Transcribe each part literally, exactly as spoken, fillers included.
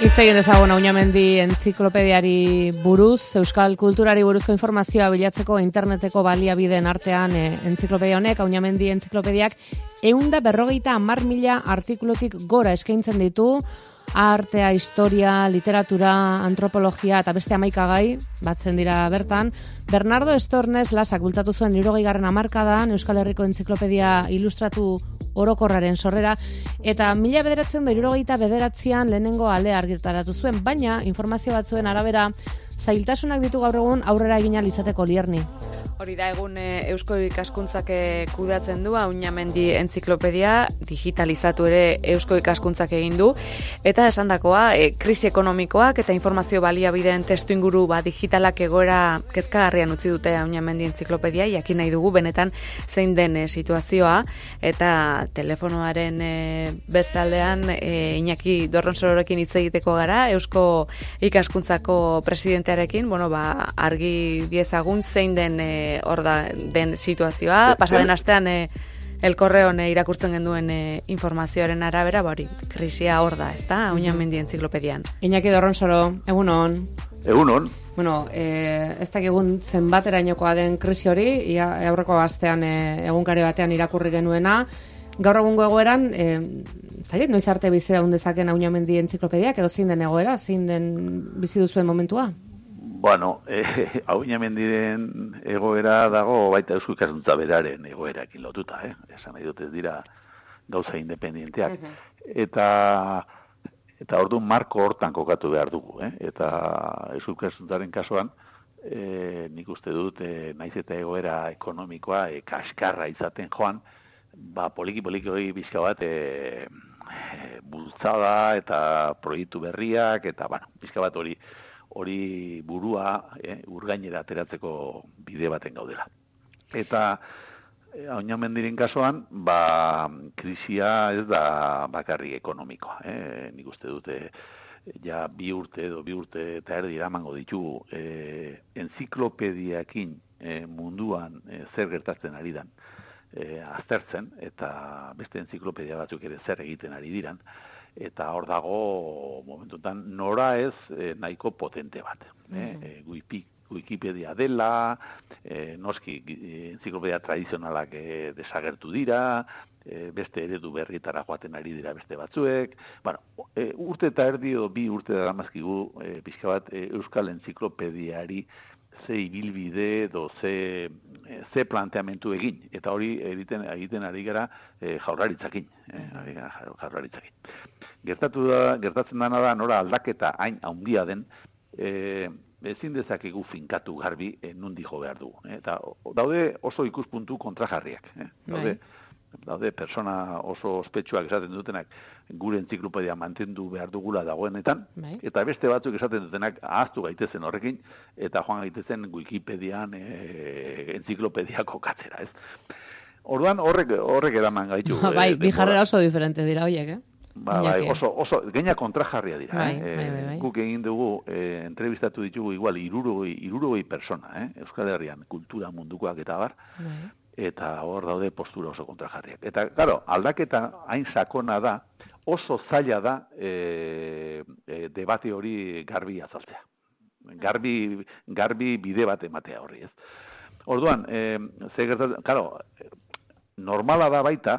Hitz egin dezagun Auñamendi entziklopediari buruz, euskal kulturari buruzko informazioa bilatzeko interneteko baliabideen artean e, entziklopedia honek, Auñamendi entziklopediak ehun berrogeita hamar mila artikulutik gora eskaintzen ditu, artea, historia, literatura, antropologia eta beste hamaikagai batzen dira bertan. Bernardo Estornes Lasak bultzatu zuen hirurogeigarren hamarkadan Euskal Herriko entziklopedia ilustratu orokorraren sorrera, eta mila bederatzen da hirurogeita bederatzean lehenengo alea argitaratu zuen, baina informazio batzuen arabera zailtasunak ditu gaur egun aurrera egin ahal izateko Lierni. Hori da egun e, Eusko Ikaskuntzak kudeatzen du, Auñamendi entziklopedia, digitalizatu ere Eusko Ikaskuntzak egin du, eta esandakoa, e, krisi ekonomikoak eta informazio baliabideen testuinguru ba, digitalak egoera kezkagarrian utzi dute Auñamendi entziklopedia, jakin nahi dugu benetan zein den e, situazioa, eta telefonoaren e, bestaldean e, Iñaki Dorronsororekin hitz egiteko gara, Eusko Ikaskuntzako presidentearekin, bueno, ba, argi diezagun zein den e, hor da den situazioa, pasaden astean e, El Correon e, irakurtzen genduen e, informazioaren arabera, hori, krisia hor da, ez da, Auñamendi entzikopedian. Iñaki Dorronsoro, egun hon. Egun hon. Bueno, e, ez dakigun zenbaterainokoa den krisi hori, ia, aurreko astean e, egunkari batean irakurri genuena, gaur egungo egoeran, e, zaiet, noiz arte bizira hundezaken Auñamendi entzikopediak, edo zein den egoera, zein den bizi duzuen momentua? Bueno, eh, Auñamendiren egoera dago baita Eusko Ikaskuntza beraren egoerakin lotuta, eh? Esan nahi dut ez dira gauza independienteak. Uh-huh. Eta eta orduan marko hortan kokatu behar dugu, eh? Eta Eusko Ikaskuntzaren kasuan, eh, nik uste dut, eh, naiz eta egoera ekonomikoa eh, kaskarra izaten joan, ba poliki-poliki hori bizka bat eh, bultzada eta proiektu berriak, eta bueno, bizka bat hori hori burua eh, urgainera ateratzeko bide baten gaudela. Eta eh, Auñamendiren kasuan, ba, krisia ez da bakarrik ekonomikoa. Eh? Nik uste dute ja bi urte edo bi urte eta erdi eramango ditugu eh, enziklopediakin eh, munduan eh, zer gertatzen ari dan eh, aztertzen, eta beste enziklopedia batzuk ere zer egiten ari diran, eta hor dago momentutan nora ez eh, nahiko potente bat. Mm-hmm. eh, Wikipedia dela, eh, noski entziklopedia tradizionalak eh, desagertu dira, eh, beste eredu berrietara joaten ari dira beste batzuek. Bueno, eh, urte eta erdi edo bi urte da gamazkigu eh, pixka bat eh, Euskal Entziklopediari ze ibilbide edo ze, ze planteamentu egin, eta hori egiten, egiten ari gara e, jaurlaritzakin, e, ari gara jaurlaritzakin. Gertatu da, gertatzen dana da nora aldaketa hain handia den, e, ezin dezakegu finkatu garbi e, nundi jo behar dugu. E, eta daude oso ikuspuntu kontrajarriak. E, daude, daude persona oso ospetsuak esaten dutenak gure entziklopedia mantendu behar dugula dagoenetan, Bai. Eta beste batzuk esaten dutenak ahaztu gaitezen horrekin, eta joan gaitezen Wikipedian e, entziklopedia kokatzera, ez? Orduan horrek horrek eraman gaitu. Bai, e, bi jarrera oso diferente dira horiek, eh? Ba, bai, oso, oso, geina kontrajarria dira. Bai, eh? bai, bai, bai. Guk egin dugu, eh, entrevistatu ditugu igual irurogei, irurogei persona, eh? Euskal Herrian kultura mundukoak eta bar, bai. Eta hor daude postura oso kontrajarriak. Eta, claro, aldaketa hain sakona da, oso zaila da e, e, debate hori garbi azaltzea. Garbi, garbi bide bat ematea horri, ez. Orduan, e, ze gertatzen, claro, normala da baita,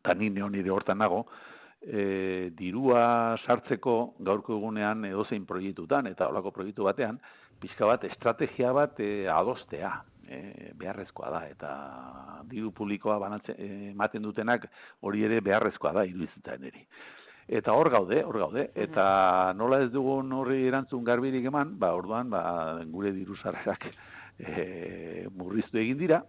eta ni nire hortan nago, e, dirua sartzeko gaurko egunean edozein proiektutan, eta holako proiektu batean, pixka bat, estrategia bat e, adostea. E, beharrezkoa da, eta diru publikoa banatzen, ematen dutenak hori ere beharrezkoa da iruditzen eri. Eta hor gaude, hor gaude, eta nola ez dugun horri erantzun garbirik eman, ba orduan ba, gure diru sarrerak e, murriztu egin dira,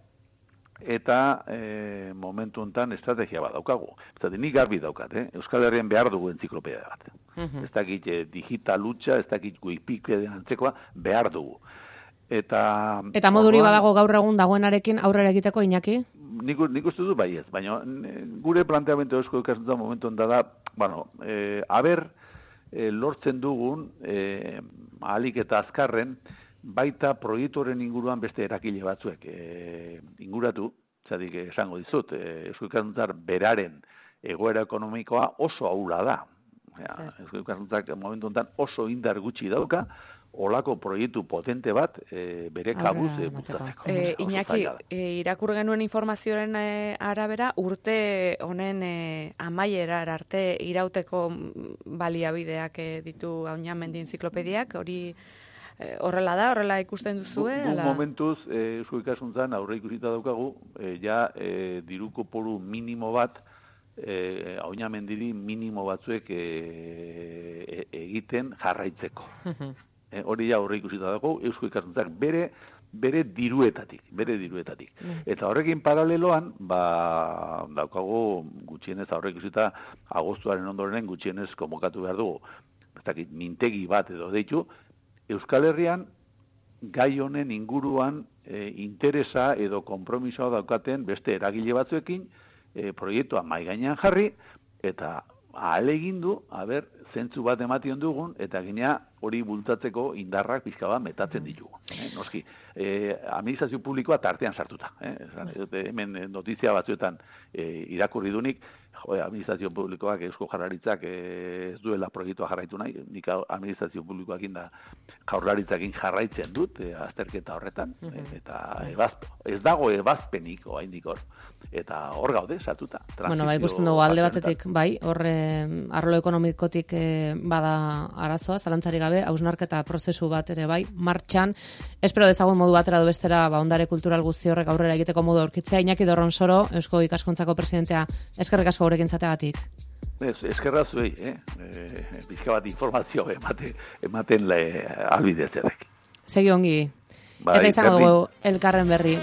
eta e, momentu honetan estrategia bat daukagu. Zaten, nik garbi daukat, eh? Euskal Herrian behar dugu entziklopedia bat. Uh-huh. Ez dakit e, digital hutsa, ez dakit Wikipedia antzekoa, behar dugu. Eta, eta moduri badago gaur egun dagoenarekin aurrera egiteko, Iñaki? Nik, nik uste du bai ez, baina gure planteamendu Eusko Ikaskuntza momentu da da, bueno, e, aber e, lortzen dugun, e, ahalik eta azkarren, baita proiektoren inguruan beste erakile batzuek e, inguratu, zatik esango dizut, e, Eusko Ikaskuntzar beraren egoera ekonomikoa oso ahula da. Ja, Eusko Ikaskuntzak momentu honetan oso indar gutxi dauka, olako proiektu potente bat e, bere kabuz e, bultzatzeko. E, Iñaki, e, irakur genuen informazioaren e, arabera, urte honen e, amaierar arte irauteko baliabideak e, ditu Auñamendi enziklopediak, hori e, horrela da, horrela ikusten duzue? Bu, bu momentuz, e, Eusko Ikaskuntzan aurre ikusita daukagu, e, ja e, diru kopuru minimo bat, e, Auñamendiri minimo batzuek e, e, egiten jarraitzeko. E, hori ja aurre ikusita dago, Eusko Ikaskuntzak bere bere diruetatik, bere diruetatik. Mm. Eta horrekin paraleloan, ba, daukagu gutxienez aurre ikusita agostuaren ondoren gutxienez konbokatu behar dugu, ez dakit, mintegi bat edo deitu, Euskal Herrian gai honen inguruan e, interesa edo konpromisoa daukaten beste eragile batzuekin e, proiektua mai gainean jarri, eta ahalegin du, aber, zentzu bat ematen dugun, eta ginea hori bultatzeko indarrak pixka bat metatzen ditugu. Eh, noski, eh, administrazio publikoa tartean sartuta. Eh? Hemen notizia batzuetan eh, irakurri dunik, jo, administrazio publikoak, Eusko Jaurlaritzak eh, ez duela proiektua jarraitu nahi, nik administrazio publikoakin da Jaurlaritzakin jarraitzen dut, eh, azterketa horretan, eh, eta ebaz, ez dago ebazpenik oraindik hor. Eta hor gaude, sartuta. Bueno, bai, ikusten dugu alde batetik, bai, hor arlo ekonomikotik eh, bada arazoa, zalantzarik gabe, hausnarketa prozesu bat ere bai, martxan, espero dezagun modu batera du bestera, ba, ondare kultural guzti horrek aurrera egiteko modu aurkitzea. Iñaki Dorronsoro, Eusko Ikaskuntzako presidentea, eskerrik asko gurekin zateagatik. Ez, eskerra zuei, eh? E, bizka bat informazio emate, ematen le albidezerek. Segi ongi. Bai, eta izango dugu elkarren berri.